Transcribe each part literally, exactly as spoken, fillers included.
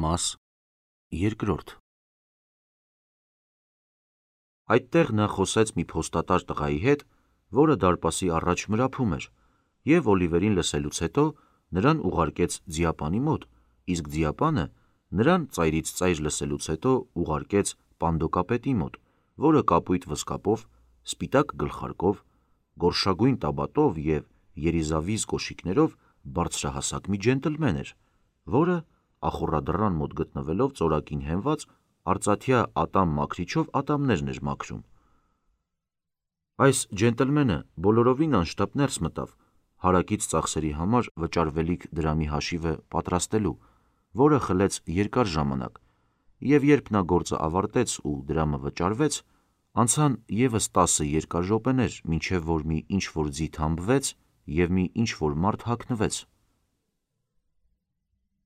Մաս երկրորդ Այդտեղ նա խոսեց մի փոստատար տղայի հետ, որը դարպասի առաջ մրափում էր, և Օլիվերին լսելուց հետո նրան ուղարկեց ձիապանի մոտ, իսկ ձիապանը նրան ծայրից ծայր լսելուց հետո ուղարկեց պանդոկապետի մոտ, որը կապույտ վզկապով, սպիտակ գլխարկով, գորշագույն տաբատով և երիզավիզ կոշիկներով բարձրահասակ մի ջենտլմեն էր, որը ախոռադռան մոտ գտնվելով ծորակին հենված, արծաթյա ատամ մաքրիչով ատամներն էր մաքրում։ Այս ջենտլմենը բոլորովին անշտապ ներս մտավ, հարակից ծախսերի համար վճարվելիք դրամի հաշիվը պատրաստելու, որը խլեց երկար ժամանակ, և երբ նա գործը ավարտեց ու դրամը վճարվեց, անցան ևս տասը երկար րոպեներ, մինչև որ մի ինչ-որ ձի թամբվեց և մի ինչ-որ մարդ հագնվեց։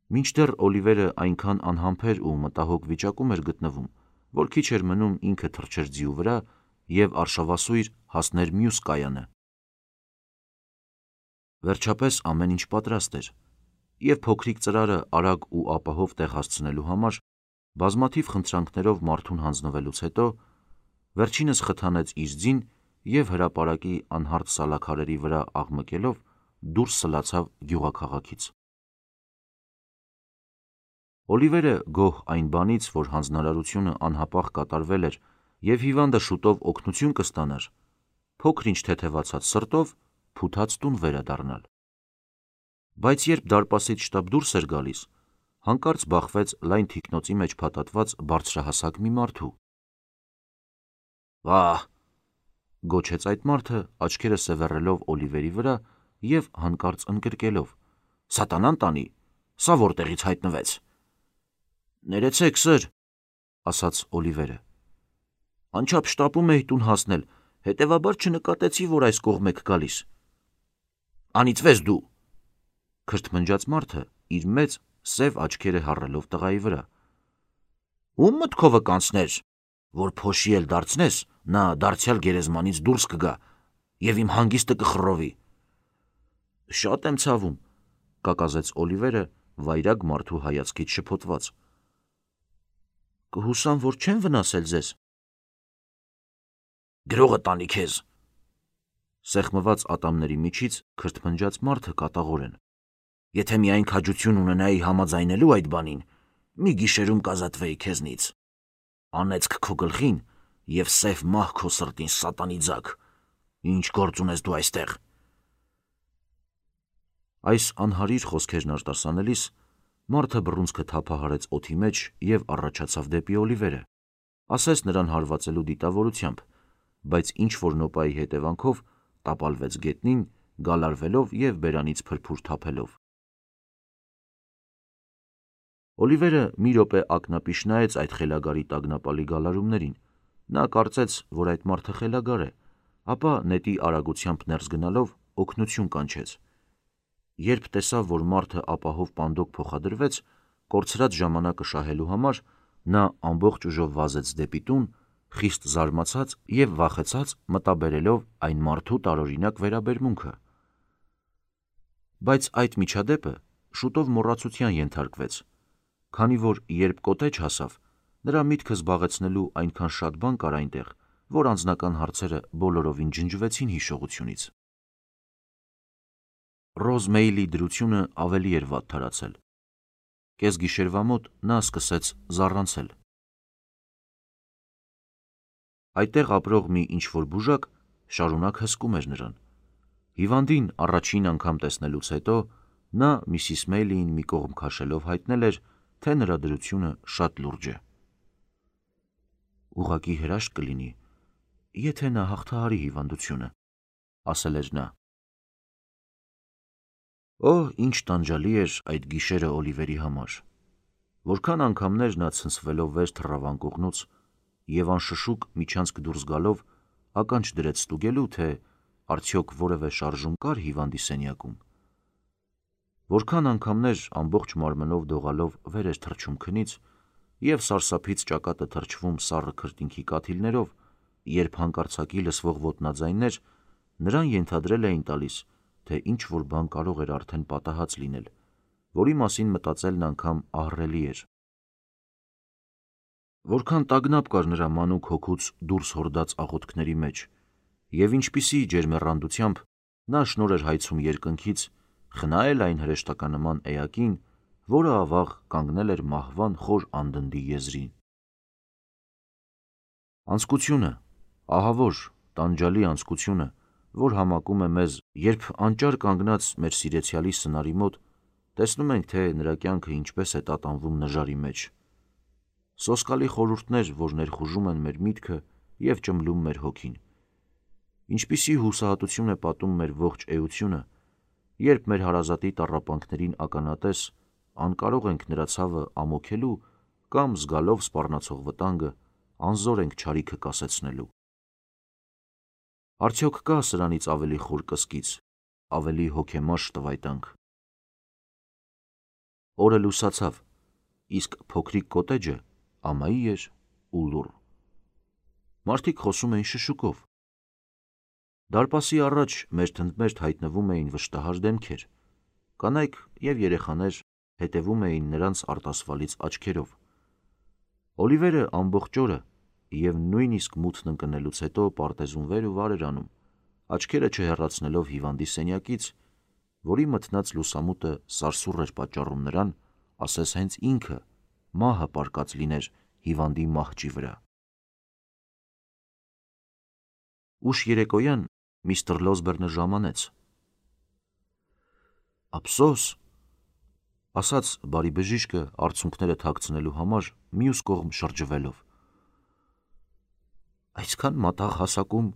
Մինչդեռ Օլիվերը այնքան անհամբեր ու մտահոգ վիճակում էր գտնվում, որ քիչ էր մնում ինքը թռչեր ձիու վրա և արշավասույր հասներ մյուս կայանը։ Վերջապես ամեն ինչ պատրաստ էր, և փոքրիկ ծրարը արագ ու ապահով տեղ հասցնելու համար բազմաթիվ խնդրանքներով մարդուն հանձնվելուց հետո, վերջինս խթանեց իր ձին և հրապարակի անհարթ սալաքարերի վրա աղմկելով դուրս սլացավ գյուղաքաղաքից։ Օլիվերը գոհ այն բանից, որ հանձնարարությունը անհապաղ կատարվել էր և հիվանդը շուտով օգնություն կստանար, փոքր-ինչ թեթևացած սրտով փութած տուն վերադառնալ։ Բայց երբ դարպասից շտապ դուրս էր գալիս, հանկարծ բախվեց լայն թիկնոցի մեջ փաթաթված բարձրահասակ մի մարդու։ «Վա՜հ», գոչեց այդ մարդը, աչքերը սևեռելով Օլիվերի վրա և հանկարծ ընկրկելով. «Սատանան տանի, սա որտեղից հայտնվեց»։ «Ներեցեք, սըր», ասաց Օլիվերը, «անչափ շտապում էի տուն հասնել, հետևաբար չնկատեցի, որ այս կողմ եք գալիս»։ «Անիծվես դու», քրթմնջաց մարդը, իր մեծ սև աչքերը հառելով տղայի վրա։ «Ո՞ւմ մտքովը կանցներ, որ փոշի էլ դարձնես, նա դարձյալ գերեզմանից դուրս կգա և իմ հանգիստը կխռովի»։ «Շատ եմ ցավում», կակազեց Օլիվերը վայրագ մարդու հայացքից շփոթված։ «Կհուսամ, որ չեմ վնասել ձեզ»։ «Գրողը տանի քեզ», սեղմված ատամների միջից քրթմնջաց մարդը կատաղորեն։ «Եթե միայն քաջություն ունենայի համաձայնելու այդ բանին, մի գիշերում կազատվեի քեզնից։ Անեծք քո գլխին և սև մահ քո սրտին, սատանի ձագ։ Ինչ գործ ունես դու այստեղ»։ Այս անհարիր խոսքերն արտասանելիս մարդը բռունցքը թափահարեց օդի մեջ և առաջացավ դեպի Օլիվերը, ասես նրան հարվածելու դիտավորությամբ, բայց ինչ-որ նոպայի հետևանքով տապալվեց գետնին, գալարվելով և բերանից փրփուր թափելով։ Օլիվերը մի րոպե ակնապիշ նայեց այդ խելագարի տագնապալի գալարումներին, նա կարծեց, որ այդ մարդը խելագար է, ապա նետի արագությամբ ներս գնալով օգնություն կանչեց։ Երբ տեսավ, որ մարդը ապահով պանդոկ փոխադրվեց, կորցրած ժամանակը շահելու համար, նա ամբողջ ուժով վազեց դեպի տուն, խիստ զարմացած և վախեցած մտաբերելով այն մարդու տարօրինակ վերաբերմունքը։ Բայց այդ միջադեպը շուտով մոռացության ենթարկվեց, քանի որ երբ կոտեջ հասավ, նրա միտքը զբաղեցնելու այնքան շատ բան կար այնտեղ, որ անձնական հարցերը բոլորովին ջնջվեցին հիշողությունից։ Ռոզ Մեյլի դրությունը ավելի էր վատթարացել։ Կեսգիշերվա մոտ նա սկսեց զառանցել։ Այդտեղ ապրող մի ինչ-որ բուժակ շարունակ հսկում էր նրան։ Հիվանդին առաջին անգամ տեսնելուց հետո նա միսիս Մեյլիին մի կողմ քաշելով հայտնել էր, թե նրա դրությունը շատ լուրջ է։ «Ուղղակի հրաշք կլինի, եթե նա հաղթահարի հիվանդությունը», ասել էր նա։ Օ՜, ինչ տանջալի էր այդ գիշերը Օլիվերի համար։ Որքան անգամներ նա ցնցվելով վեր թռավ անկողնուց և անշշուկ միջանցք դուրս գալով ականջ դրեց ստուգելու, թե արդյոք որևէ շարժում կար հիվանդի սենյակում։ Որքան անգամներ ամբողջ մարմնով դողալով վեր էր թռչում քնից և սարսափից ճակատը թրջվում սառը քրտինքի կաթիլներով, երբ հանկարծակի լսվող ոտնաձայններ նրան ենթադրել էին տալիս, թե ինչ-որ բան կարող էր արդեն պատահած լինել, որի մասին մտածելն անգամ ահռելի էր։ որքան տագնապ կար նրա մանուկ հոգուց դուրս հորդած աղոթքների մեջ, և ինչպիսի ջերմեռանդությամբ նա շնոր էր հայցում երկնքից խնայել այն հրեշտականնման էակին, որը ավաղ կանգնել էր մահվան խոր անդնդի եզրին։ Անձկությունը, ահավոր, տանջալի անձկությունը, որ համակում է մեզ, երբ անճար կանգնած մեր սիրեցյալի սնարի մոտ, տեսնում ենք, թե նրա կյանքը ինչպես է տատանվում նժարի մեջ։ Սոսկալի խորհուրդներ, որ ներխուժում են մեր միտքը և ճմլում մեր հոգին։ Ինչպիսի հուսահատություն է պատում մեր ողջ էությունը, երբ մեր հարազատի տառապանքներին ականատես անկարող ենք նրա ցավը ամոքելու կամ զգալով սպառնացող վտանգը անզոր ենք չարիքը կասեցնելու։ Արդյոք կա սրանից ավելի խոր կսկիծ, ավելի հոգեմաշ տվայտանք։ Օրը լուսացավ, իսկ փոքրիկ կոտեջը ամայի էր ու լուռ։ Մարդիկ խոսում էին շշուկով։ Դարպասի առաջ մերթընդմերթ հայտնվում էին վշտահար դեմքեր, կանայք և երեխաներ հետևում էին նրանց արտասվալից աչքերով։ Օլիվերը ամբողջ օրը և նույնիսկ մութն ընկնելուց հետո պարտեզում վեր ու վար էր անում, աչքերը չհեռացնելով հիվանդի սենյակից, որի մթնած լուսամուտը սարսուռ էր պատճառում նրան, ասես հենց ինքը մահը պառկած լիներ հիվանդի մահճի վրա։ Ուշ երեկոյան միստր Լոսբերնը ժամանեց։ «Ափսոս», ասաց բարի բժիշկը արցունքները թաքցնելու համար մյուս կողմ շրջվելով։ «Այսքան մատաղ հասակում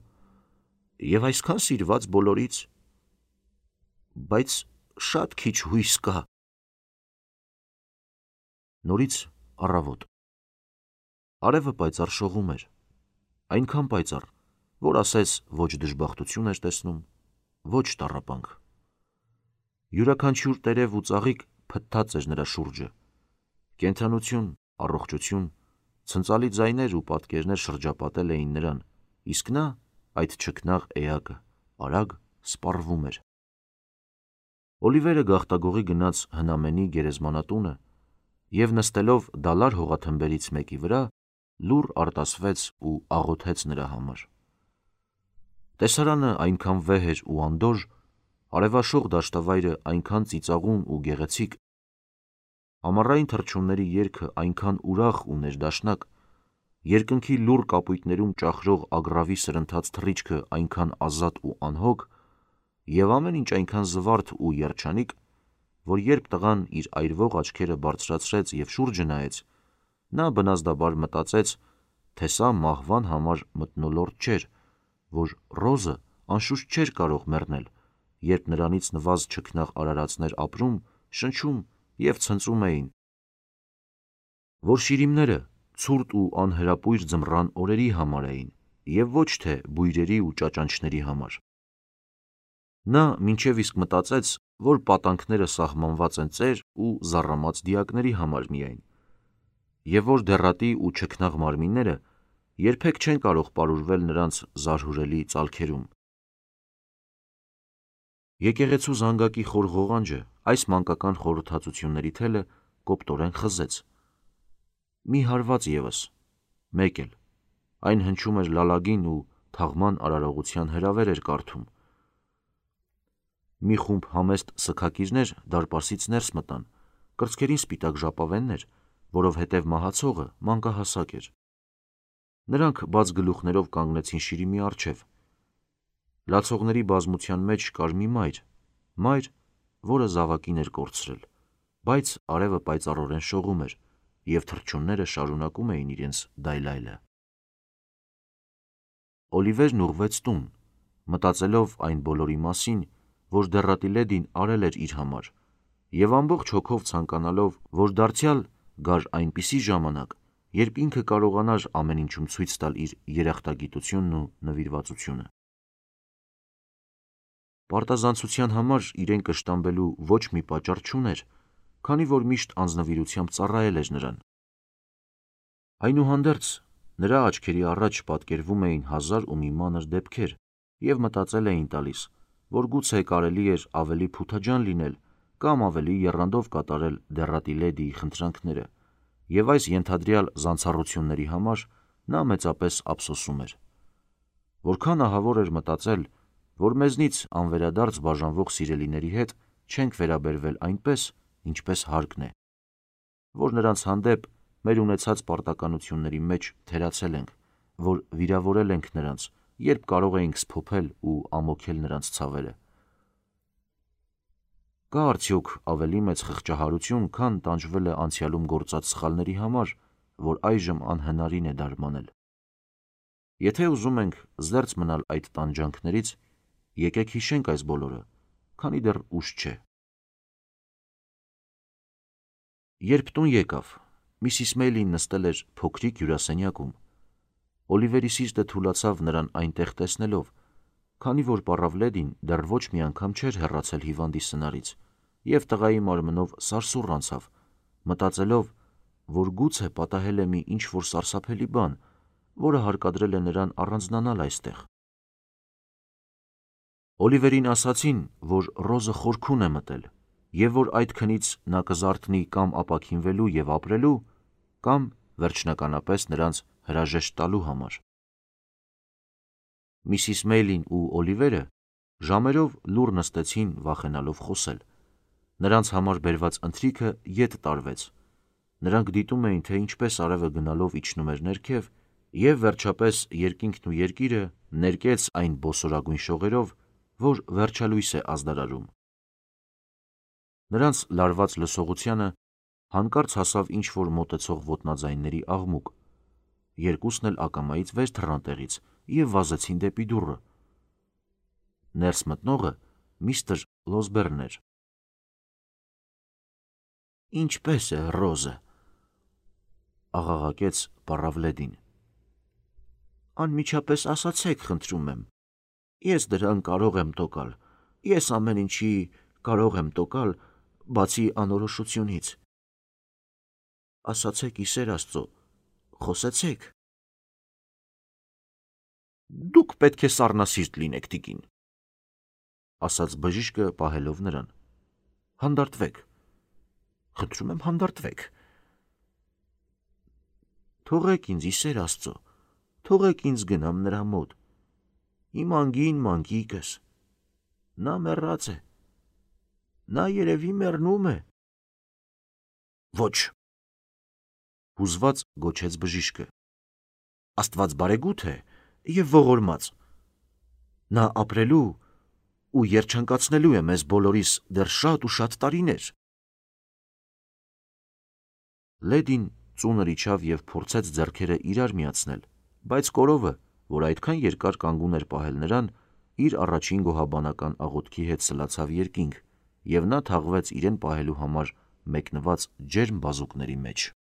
և այսքան սիրված բոլորից, բայց շատ քիչ հույս կա»։ Նորից առավոտ։ Արևը պայծառ շողում էր, այնքան պայծառ, որ ասես ոչ դժբախտություն էր տեսնում, ոչ տառապանք։ Յուրաքանչյուր տերև ու ծաղիկ փթթած էր նրա շուրջը, կենդանություն, առողջություն, ցնծալի ձայներ ու պատկերներ շրջապատել էին նրան, իսկ նա, այդ չքնաղ էակը, արագ սպառվում էր։ Օլիվերը գաղտագողի գնաց հնամենի գերեզմանատունը և նստելով դալար հողաթմբերից մեկի վրա, լուռ արտասվեց ու աղոթեց նրա համար։ Տեսարանը այնքան վեհ էր ու անդորր, արևաշող դաշտավայրը այնքան ծիծաղուն ու գեղեցիկ, ամառային թռչունների երգը այնքան ուրախ ու ներդաշնակ, երկնքի լուռ կապույտներում ճախրող ագռավի սրընթաց թռիչքը այնքան ազատ ու անհոգ, և ամեն ինչ այնքան զվարթ ու երջանիկ, որ երբ տղան իր այրվող աչքերը բարձրացրեց և շուրջը նայեց, նա բնազդաբար մտածեց, թե սա մահվան համար մթնոլորտ չէր, որ Ռոզը անշուշտ չէր կարող մեռնել, երբ նրանից նվազ չքնաղ արարածներ ապրում, շնչում և ցնծում էին, որ շիրիմները ցուրտ ու անհրապույր ձմռան օրերի համար էին և ոչ թե բույրերի ու ճաճանչների համար։ Նա մինչև իսկ մտածեց, որ պատանքները սահմանված են ծեր ու զառամած դիակների համար միայն, և որ դեռատի ու չքնաղ մարմինները երբեք չեն կարող պարուրվել նրանց զարհուրելի ծալքերում։ Եկեղեցու զանգակի խոր ղողանջը այս մանկական խորհրդածությունների թելը կոպտորեն խզեց։ Մի հարված ևս, մեկ էլ, այն հնչում էր լալագին ու թաղման արարողության հրավեր էր կարդում։ Մի խումբ համեստ սգաքիրներ դարպասից ներս մտան, կրծքերին սպիտակ ժապավեններ, որովհետև մահացողը մանկահասակ էր։ Նրանք բաց գլուխներով կանգնեցին շիրիմի առջև։ Լացողների բազմության մեջ կար մի մայր, մայր, որը զավակին էր կորցրել, բայց արևը պայծառորեն շողում էր, և թռչունները շարունակում էին իրենց դայլայլը։ Օլիվերն ուղղվեց տուն, մտածելով այն բոլորի մասին, որ դեռատի լեդին արել էր իր համար, և ամբողջ հոգով ցանկանալով, որ դարձյալ գար այնպիսի ժամանակ, երբ ինքը կարողանար ամեն ինչում ցույց տալ իր երախտագիտությունն ու նվիրվածությունը։ Պարտազանցության համար իրեն կշտամբելու ոչ մի պատճառ չուներ, քանի որ միշտ անձնվիրությամբ ծառայել էր նրան։ Այնուհանդերձ, նրա աչքերի առաջ պատկերվում էին հազար ու մի մանր դեպքեր, և մտածել էին տալիս, որ գուցե կարելի էր ավելի փութաջան լինել կամ ավելի եռանդով կատարել դեռատի լեդիի խնդրանքները, և այս ենթադրյալ զանցառությունների համար նա մեծապես ափսոսում էր։ Որքան ահավոր էր մտածել, որ մեզնից անվերադարձ բաժանվող սիրելիների հետ չենք վերաբերվել այնպես, ինչպես հարկն է, որ նրանց հանդեպ մեր ունեցած պարտականությունների մեջ թերացել ենք, որ վիրավորել ենք նրանց, երբ կարող էինք սփոփել ու ամոքել նրանց ցավերը։ Կա արդյոք ավելի մեծ խղճահարություն, քան տանջվել է անցյալում գործած սխալների համար, որ այժմ անհնարին է դարմանել։ Եթե ուզում ենք զերծ մնալ այդ տանջանքներից, եկեք հիշենք այս բոլորը, քանի դեռ ուշ չէ։ Երբ տուն եկավ, Միսիս Մեյլին նստել էր փոքրիկ հյուրասենյակում։ Օլիվերի սիրտը թուլացավ նրան այնտեղ տեսնելով, քանի որ պառավլեդին դեռ ոչ մի անգամ չէր հեռացել հիվանդի սնարից, և տղայի մարմնով սարսուռ անցավ, մտածելով, որ գուցե պատահել է մի ինչ-որ սարսափելի բան, որը հարկադրել է նրան առանձնանալ այստեղ։ Օլիվերին ասացին, որ Ռոզը խորքուն է մտել, և որ այդ քնից նա կզարթնի կամ ապաքինվելու և ապրելու, կամ վերջնականապես նրանց հրաժեշտ տալու համար։ Միսիս Մեյլին ու Օլիվերը ժամերով լուռ նստեցին, վախենալով խոսել։ Նրանց համար բերված ընթրիքը ետ տարվեց։ Նրանք դիտում էին, թե ինչպես արևը գնալով իջնում էր ներքև, և վերջապես երկինքն ու երկիրը ներկեց այն բոսորագույն շողերով, որ վերջալույս է ազդարարում։ Նրանց լարված լսողությանը հանկարծ հասավ ինչ-որ մոտեցող ոտնաձայնների աղմուկ։ Երկուսն էլ ակամայից վեր թռան տեղից և վազեցին դեպի դուռը։ Ներս մտնողը միստր Լոսբերնն էր։ «Ինչպե՞ս է Ռոզը», աղաղակեց պառավլեդին։ «Անմիջապես ասացեք, խնդրում եմ, ես դրան կարող եմ տոկալ, ես ամեն ինչի կարող եմ տոկալ, բացի անորոշությունից։ Ասացեք, ի սեր Աստծո, խոսեցեք»։ «Դուք պետք է սառնասիրտ լինեք, տիկին», ասաց բժիշկը պահելով նրան։ «Հանդարտվեք, խնդրում եմ, հանդարտվեք»։ «Թողեք ինձ, ի սեր Աստծո, թողեք ինձ գնամ նրա մոտ, իմ անգին մանկիկս, նա մեռած է, նա երևի մեռնում է»։ «Ոչ», հուզված գոչեց բժիշկը, «Աստված բարեգութ է և ողորմած, նա ապրելու ու երջանկացնելու է մեզ բոլորիս դեռ շատ ու շատ տարիներ»։ Լեդին ծունր իջավ և փորձեց ձեռքերը իրար միացնել, բայց կորովը, որ այդքան երկար կանգուն էր պահել նրան, իր առաջին գոհաբանական աղոթքի հետ սլացավ երկինք, և նա թաղվեց իրեն պահելու համար մեկնված ջերմ բազուկների մեջ։